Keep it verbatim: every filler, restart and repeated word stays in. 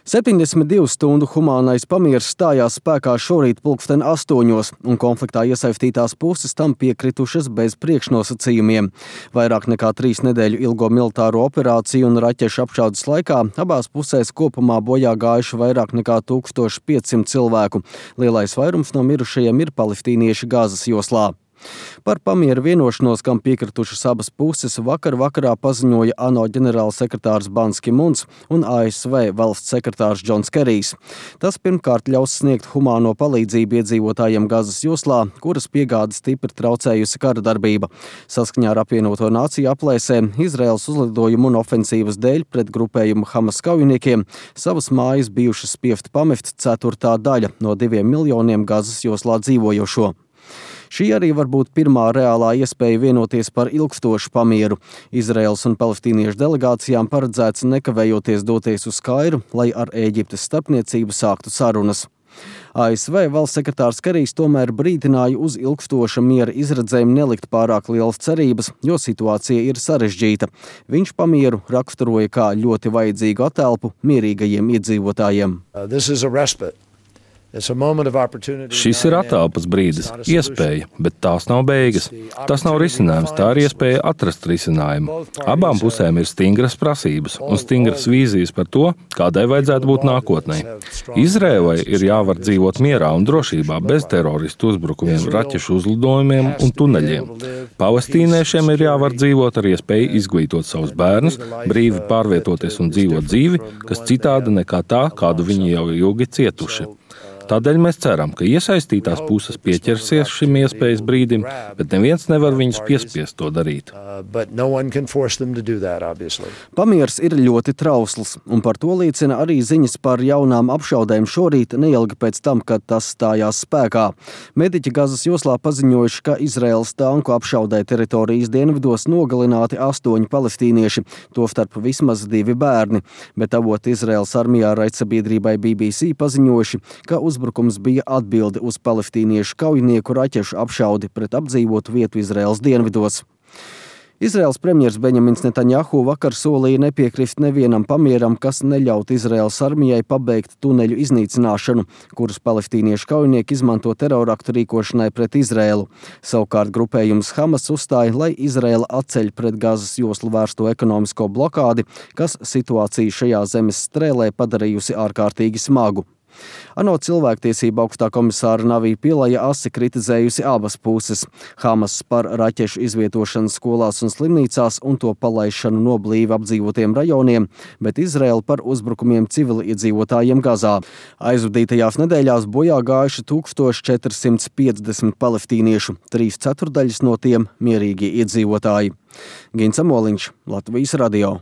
septiņdesmit divu stundu humānais pamieris stājās spēkā šorīt pulksten astoņos, un konfliktā iesaistītās puses tam piekritušas bez priekšnosacījumiem. Vairāk nekā trīs nedēļu ilgo militāro operāciju un raķešu apšaudes laikā abās pusēs kopumā bojā gājuši vairāk nekā tūkstoš piecsimt cilvēku. Lielais vairums no mirušajiem ir palestīnieši Gazas joslā. Par pamieru vienošanos, kam piekritušas abas puses, vakar vakarā paziņoja ANO ģenerālsekretārs Bans Ki-muns un A S V valsts sekretārs Džons Kerijs. Tas pirmkārt ļaus sniegt humāno palīdzību iedzīvotājiem Gazas joslā, kuras piegādes stipri traucējusi kara darbība. Saskaņā ar apvienoto nāciju aplēsēm Izraēlas uzlidojumu un ofensīvas dēļ pret grupējumu Hamas kaujiniekiem savas mājas bijušas spiest pamest ceturtā daļa no diviem miljoniem Gazas joslā dzīvojošo. Šī arī var būt pirmā reālā iespēja vienoties par ilgstošu pamieru. Izraēlas un palestīniešu delegācijām paredzēts nekavējoties doties uz Kairu, lai ar Ēģiptes starpniecību sāktu sarunas. A S V valsts sekretārs Kerijs tomēr brīdināja uz ilgstoša miera izredzēm nelikt pārāk lielas cerības, jo situācija ir sarežģīta. Viņš pamieru raksturoja kā ļoti vajadzīgu atelpu mierīgajiem iedzīvotājiem. Uh, Šis ir atelpas brīdis, iespēja, bet tās nav beigas. Tas nav risinājums, tā ir iespēja atrast risinājumu. Abām pusēm ir stingras prasības un stingras vīzijas par to, kādai vajadzētu būt nākotnē. Izraēlai ir jāvar dzīvot mierā un drošībā bez teroristu uzbrukumiem, raķešu uzlidojumiem un tuneļiem. Palestīniešiem ir jāvar dzīvot ar iespēju izglītot savus bērnus, brīvi pārvietoties un dzīvot dzīvi, kas citāda nekā tā, kādu viņi jau ilgi cietuši. Tādēļ mēs ceram, ka iesaistītās puses pieķersies šim iespējas brīdim, bet neviens nevar viņus piespiest to darīt. Pamiers ir ļoti trausls, un par to liecina arī ziņas par jaunām apšaudēm šorīt neilgi pēc tam, kad tas stājās spēkā. Mediķi Gazas joslā paziņojuši, ka Izraēlas tanku apšaudē teritorijas dienvidos nogalināti astoņi palestīnieši, tostarp vismaz divi bērni, bet avoti Izraēlas armijā raidsabiedrībai B B C paziņojuši, ka uz Uzbrukums bija atbilde uz palestīniešu kaujinieku raķešu apšaudi pret apdzīvotu vietu Izraēlas dienvidos. Izraēlas premjers Benjamins Netanjahu vakar solīja nepiekrist nevienam pamieram, kas neļaut Izraēlas armijai pabeigt tuneļu iznīcināšanu, kurus palestīniešu kaujinieki izmanto teroraktu rīkošanai pret Izraēlu. Savukārt grupējums Hamas uzstāja, lai Izraēla atceļ pret Gazas joslu vērsto ekonomisko blokādi, kas situāciju šajā zemes strēlē padarījusi ārkārtīgi smagu. ANO cilvēktiesība augstā komisāra Navī Pilaja asi kritizējusi abas puses. Hamas par raķešu izvietošanu skolās un slimnīcās un to palaišanu no blīvi apdzīvotiem rajoniem, bet Izraēla par uzbrukumiem civiliedzīvotājiem Gazā. Aizvadītajās nedēļās bojā gājuši tūkstoš četri simti piecdesmit palestīniešu, trīs ceturdaļas no tiem mierīgi iedzīvotāji. Gins Amoliņš, Latvijas radio.